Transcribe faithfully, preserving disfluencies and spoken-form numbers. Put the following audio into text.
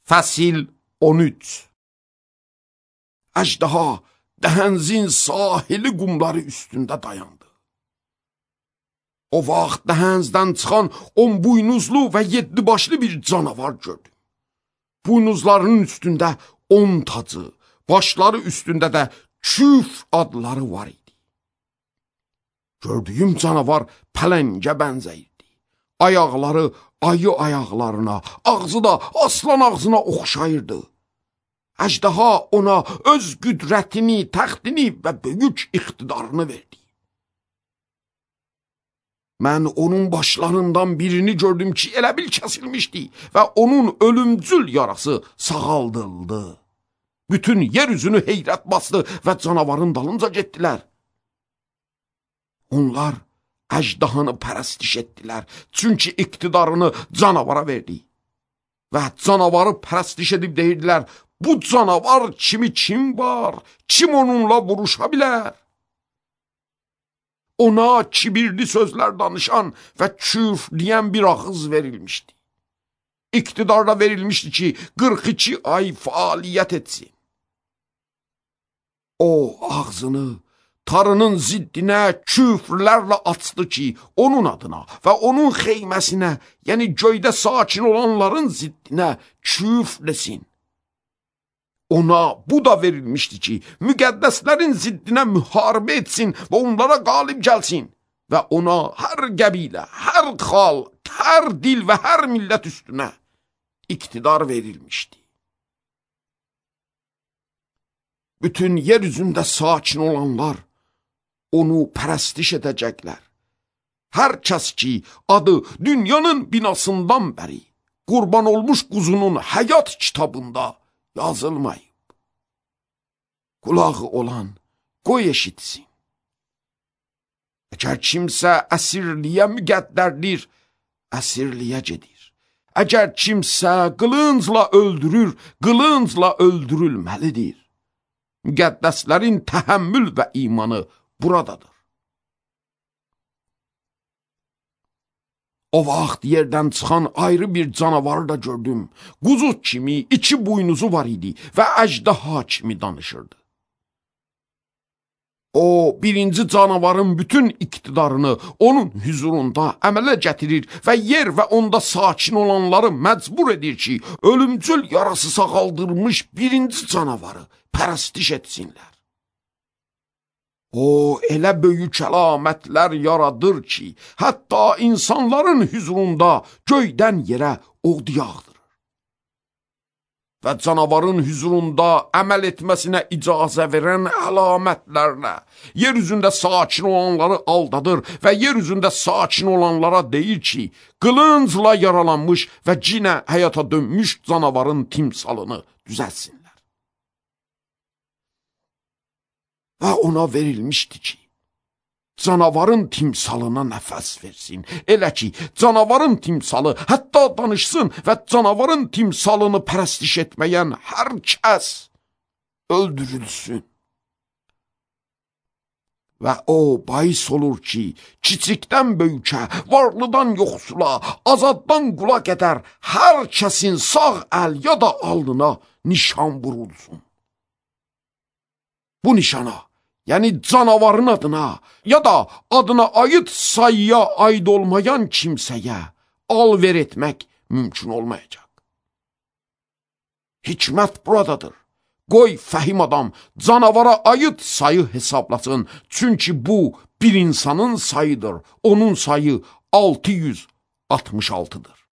Fəsil on üç. Əjdaha dəhənzin sahili qumları üstündə dayandı. O vaxt dəhənzdən çıxan on buynuzlu və yeddi başlı bir canavar gördüm. Buynuzlarının üstündə on tacı, başları üstündə də küf adları var idi. Gördüyüm canavar pələngə bənzəyirdi. Ayaqları ayı ayaqlarına, ağzı da aslan ağzına oxşayırdı. Əjdaha ona öz qüdrətini, təxtini və böyük iqtidarını verdi. Mən onun başlarından birini gördüm ki, elə bil kəsilmişdi və onun ölümcül yarası sağaldıldı. Bütün yer üzünü heyrət bastı və canavarın dalınca getdilər. Onlar əjdahanı pərəstiş etdilər, çünki iqtidarını canavara verdi. Və canavarı pərəstiş edib deyirdilər, bu canavar kimi kim var, kim onunla vuruşa bilər? Ona kibirli sözlər danışan və küfrləyən bir ağız verilmişdi. İqtidarda verilmişdi ki, qırx iki ay fəaliyyət etsin. O ağzını tarının ziddinə küfrlərlə açdı ki, onun adına və onun xeyməsinə, yəni göydə sakin olanların ziddinə küfrləsin. Ona bu da verilmişdi ki, müqəddəslərin ziddinə müharibə etsin və onlara qalib gəlsin. Və ona hər qəbilə, hər xalq, hər dil və hər millət üstünə iqtidar verilmişdi. Bütün yer üzündə sakin olanlar onu pərəstiş edəcəklər. Hər kəs ki, adı dünyanın binasından bəri qurban olmuş quzunun həyat kitabında yazılmayıb. Qulağı olan qoy eşitsin. Əgər kimsə əsirliyə müqəddərdir, əsirliyə gedir. Əgər kimsə qılıncla öldürür, qılıncla öldürülməlidir. Müqəddəslərin təhəmmül və imanı buradadır. O vaxt yerdən çıxan ayrı bir canavarı da gördüm. Quzu kimi iki buynuzu var idi və əjdaha kimi danışırdı. O, birinci canavarın bütün iqtidarını onun hüzurunda əmələ gətirir və yer və onda sakin olanları məcbur edir ki, ölümcül yarası sağaldırmış birinci canavarı pərəstiş etsinlər. O, elə böyük əlamətlər yaradır ki, hətta insanların hüzurunda göydən yerə od yağdırır. Və canavarın hüzurunda əməl etməsinə icazə verən əlamətlərlə yer üzündə sakin olanları aldadır və yer üzündə sakin olanlara deyir ki, qılıncla yaralanmış və cinə həyata dönmüş canavarın timsalını düzəlsinlər. Və ona verilmişdi ki, canavarın timsalına nəfəs versin. Elə ki, canavarın timsalı hətta danışsın və canavarın timsalını pərəstiş etməyən hər kəs öldürülsün. Və o bahis olur ki, kiçikdən böyükə, varlıdan yoxsula, azaddan qula qədər hər kəsin sağ əl ya da alnına nişan vurulsun. Bu nişana, yəni canavarın adına ya da adına aid sayıya aid olmayan kimsəyə alver etmək mümkün olmayacaq. Hikmət buradadır. Qoy fəhim adam canavara aid sayı hesablasın, çünki bu bir insanın sayıdır, onun sayı altı yüz altmış altıdır.